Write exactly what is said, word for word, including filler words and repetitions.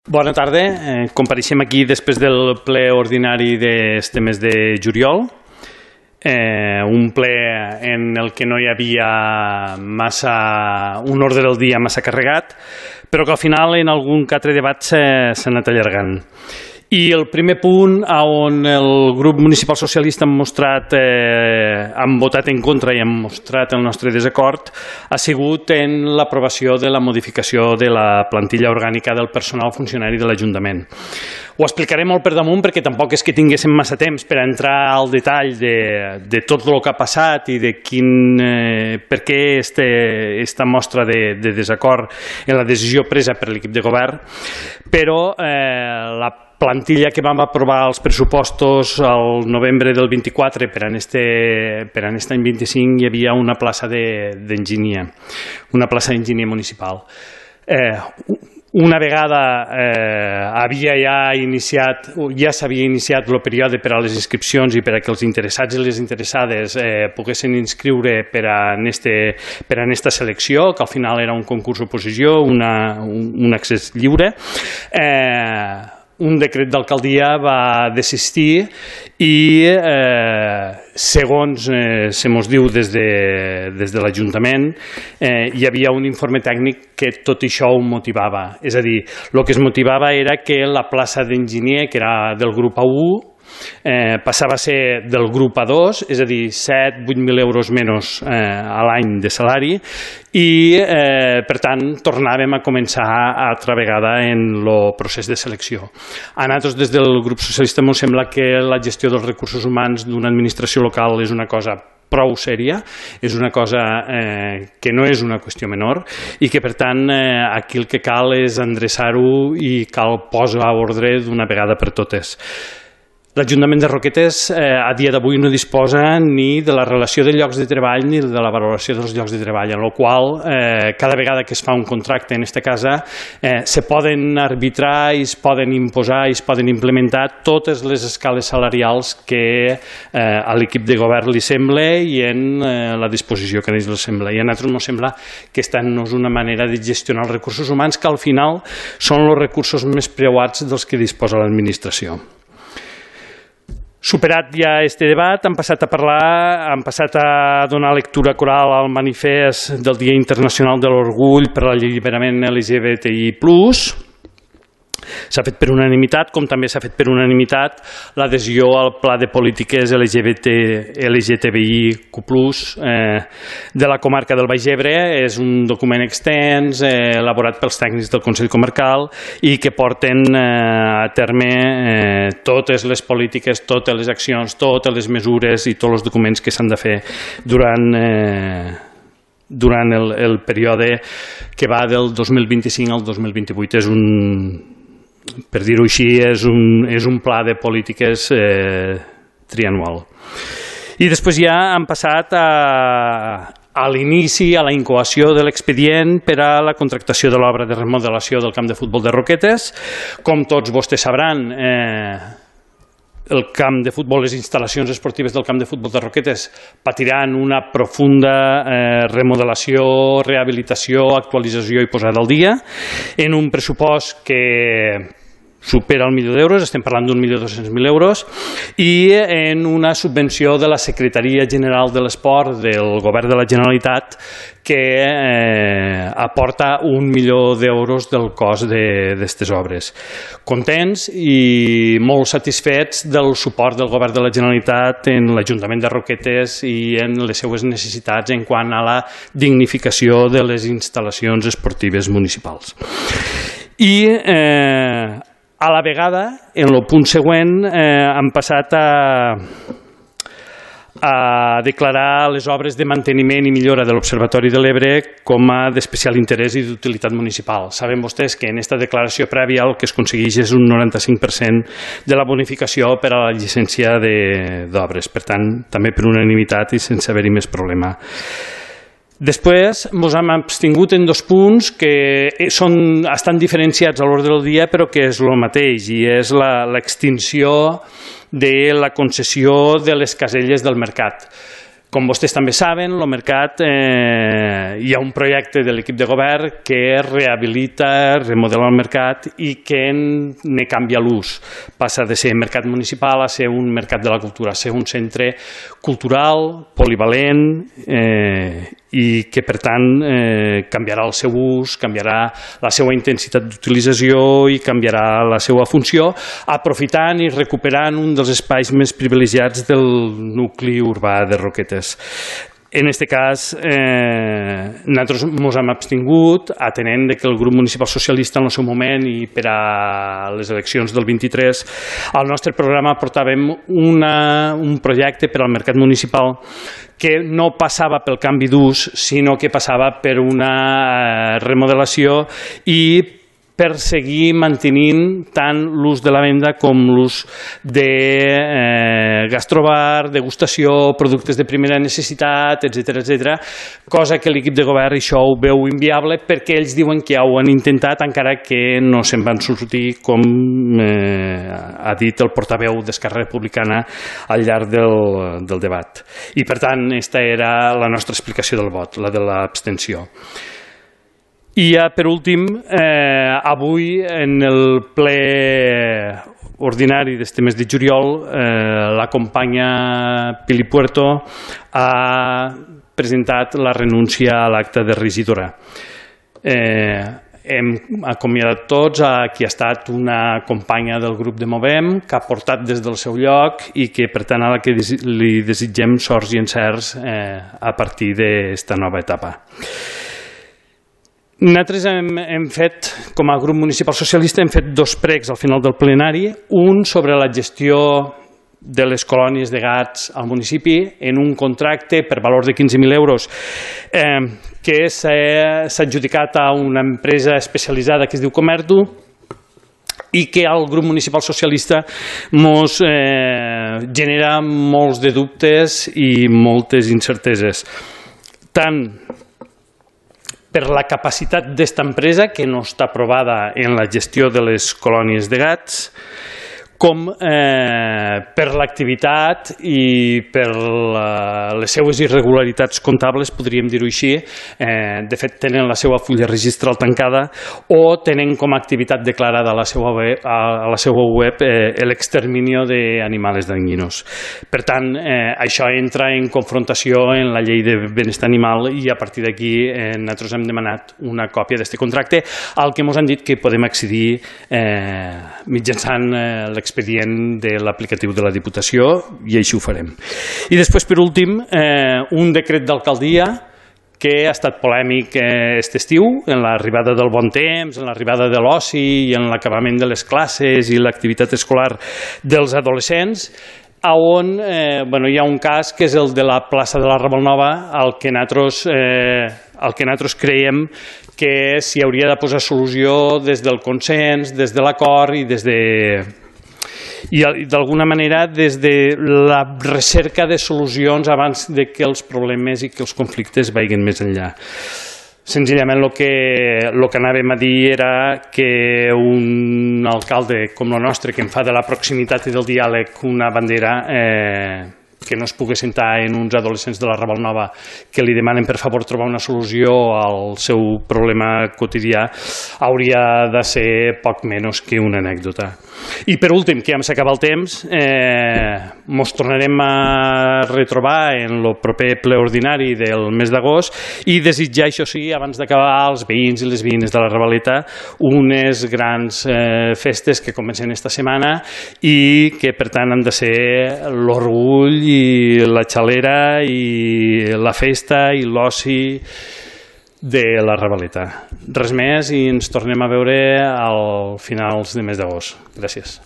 Bona tarda. Eh, compareixem aquí després del ple ordinari d'este mes de juliol. Eh, un ple en el que no hi havia massa, un ordre del dia massa carregat, però que al final en algun que altre debat s'ha anat allargant. I el primer punt on el grup municipal socialista hem mostrat, eh, hem votat en contra i hem mostrat el nostre desacord ha sigut en l'aprovació de la modificació de la plantilla orgànica del personal funcionari de l'Ajuntament. Ho explicaré molt per damunt perquè tampoc és que tinguéssim massa temps per entrar al detall de, de tot el que ha passat i de quin, eh, per què aquesta mostra de, de desacord en la decisió presa per l'equip de govern, però eh, la plantilla que vam aprovar els pressupostos al novembre del vint-i-quatre per a este, per a aquest any vint-i-cinc hi havia una plaça d'enginyer, una plaça d'enginyer municipal. Eh, una vegada eh, havia ja iniciat, ja s'havia iniciat el període per a les inscripcions i per a que els interessats i les interessades eh, poguessin inscriure per a aquesta selecció, que al final era un concurs oposició, una, un, un accés lliure. Eh, un decret d'alcaldia va desistir i, eh, segons eh, se mos diu des de, des de l'Ajuntament, eh, hi havia un informe tècnic que tot això ho motivava. És a dir, el que es motivava era que la plaça d'enginyer, que era del grup A u, Eh, passava a ser del grup A dos, és a dir, set a vuit mil euros menys eh, a l'any de salari i, eh, per tant, tornàvem a començar altra vegada en el procés de selecció. A nosaltres, des del grup socialista, ens sembla que la gestió dels recursos humans d'una administració local és una cosa prou sèria, és una cosa eh, que no és una qüestió menor i que, per tant, eh, aquí el que cal és endreçar-ho i cal posar a ordre d'una vegada per totes. L'Ajuntament de Roquetes eh, a dia d'avui no disposa ni de la relació de llocs de treball ni de la valoració dels llocs de treball, en la qual eh, cada vegada que es fa un contracte en aquesta casa eh, se poden arbitrar i es poden imposar i es poden implementar totes les escales salarials que eh, a l'equip de govern li sembla i en eh, la disposició que a ells li sembla. I a nosaltres ens sembla que aquesta no és una manera de gestionar els recursos humans que al final són els recursos més preuats dels que disposa l'administració. Superat ja este debat, hem passat a parlar, hem passat a donar lectura coral al manifest del Dia Internacional de l'Orgull per l'Alliberament L G B T I plus. S'ha fet per unanimitat, com també s'ha fet per unanimitat l'adhesió al Pla de Polítiques L G B T L G T B I Q plus, eh, de la comarca del Baix Ebre. És un document extens, eh, elaborat pels tècnics del Consell Comarcal i que porten eh, a terme eh, totes les polítiques, totes les accions, totes les mesures i tots els documents que s'han de fer durant... Eh, durant el, el període que va del dos mil vint-i-cinc al dos mil vint-i-vuit. És un, per dir-ho així, és un, és un pla de polítiques eh, trianual. I després ja han passat a, a l'inici, a la incoació de l'expedient per a la contractació de l'obra de remodelació del camp de futbol de Roquetes. Com tots vostès sabran, eh, el camp de futbol, les instal·lacions esportives del camp de futbol de Roquetes patiran una profunda eh, remodelació, rehabilitació, actualització i posada al dia en un pressupost que supera el milió d'euros, estem parlant d'un milió dos-cents mil euros, i en una subvenció de la Secretaria General de l'Esport del Govern de la Generalitat que eh, aporta un milió d'euros del cost d'aquestes obres. Contents i molt satisfets del suport del Govern de la Generalitat en l'Ajuntament de Roquetes i en les seues necessitats en quant a la dignificació de les instal·lacions esportives municipals. I eh, a la vegada, en el punt següent, eh, han passat a, a declarar les obres de manteniment i millora de l'Observatori de l'Ebre com a d'especial interès i d'utilitat municipal. Saben vostès que en aquesta declaració prèvia el que es aconsegueix és un noranta-cinc per cent de la bonificació per a la llicència d'obres. Per tant, també per unanimitat i sense haver-hi més problema. Després ens hem abstingut en dos punts que són, estan diferenciats a l'ordre del dia però que és el mateix i és l'extinció de la concessió de les caselles del mercat. Com vostès també saben, el mercat, eh, hi ha un projecte de l'equip de govern que rehabilita, remodela el mercat i que ne canvia l'ús. Passa de ser mercat municipal a ser un mercat de la cultura, a ser un centre cultural, polivalent, eh, i que per tant eh, canviarà el seu ús, canviarà la seva intensitat d'utilització i canviarà la seva funció, aprofitant i recuperant un dels espais més privilegiats del nucli urbà de Roquetes. En aquest cas, eh, nosaltres ens hem abstingut, atenent que el grup municipal socialista en el seu moment i per a les eleccions del vint-i-tres, al nostre programa portàvem una, un projecte per al mercat municipal que no passava pel canvi d'ús, sinó que passava per una remodelació i per seguir mantenint tant l'ús de la venda com l'ús de eh, gastrobar, degustació, productes de primera necessitat, etcètera, etcètera, cosa que l'equip de govern això ho veu inviable perquè ells diuen que ja ho han intentat encara que no se'n van sortir, com eh, ha dit el portaveu d'Esquerra Republicana al llarg del, del debat. I per tant, aquesta era la nostra explicació del vot, la de l'abstenció. I ja per últim, eh, avui en el ple ordinari d'este mes de juliol, eh, la companya Pili Puerto ha presentat la renúncia a l'acte de regidora. Eh, hem acomiadat tots a qui ha estat una companya del grup de Movem, que ha portat des del seu lloc i que per tant a la que li desitgem sorts i encerts eh, a partir d'esta nova etapa. Nosaltres hem, hem fet, com a grup municipal socialista, hem fet dos pregs al final del plenari, un sobre la gestió de les colònies de gats al municipi en un contracte per valor de quinze mil euros eh, que s'ha adjudicat a una empresa especialitzada que es diu Comerdu i que al grup municipal socialista ens eh, genera molts de dubtes i moltes incerteses. Tant per la capacitat d'esta empresa, que no està aprovada en la gestió de les colònies de gats, com eh, per l'activitat i per la, les seues irregularitats comptables, podríem dir-ho així. Eh, de fet, tenen la seva fulla registral tancada o tenen com a activitat declarada a la seva web, a la seva web eh, l'exterminio d'animals dañinos. Per tant, eh, això entra en confrontació en la llei de benestar animal i a partir d'aquí eh, nosaltres hem demanat una còpia d'aquest contracte al que ens han dit que podem accedir eh, mitjançant eh, l'expedient expedient de l'aplicatiu de la Diputació i així ho farem. I després, per últim, eh, un decret d'alcaldia que ha estat polèmic aquest estiu, en l'arribada del bon temps, en l'arribada de l'oci i en l'acabament de les classes i l'activitat escolar dels adolescents, on eh, bueno, hi ha un cas que és el de la plaça de la Raval Nova, al que nosaltres, eh, al que nosaltres creiem que s'hi hauria de posar solució des del consens, des de l'acord i des de... i d'alguna manera des de la recerca de solucions abans de que els problemes i que els conflictes vagin més enllà. Senzillament el que, el que anàvem a dir era que un alcalde com el nostre, que en fa de la proximitat i del diàleg una bandera, eh, que no es pugui sentar en uns adolescents de la Raval Nova que li demanen per favor trobar una solució al seu problema quotidià, hauria de ser poc menys que una anècdota. I per últim, que ja s'acaba el temps, ens eh, tornarem a retrobar en el proper ple ordinari del mes d'agost i desitjar, això sí, abans d'acabar, als veïns i les veïnes de la Ravaleta unes grans eh, festes que comencen esta setmana i que per tant han de ser l'orgull i la xalera i la festa i l'oci de la Ravaleta. Res més i ens tornem a veure al finals de mes d'agost. Gràcies.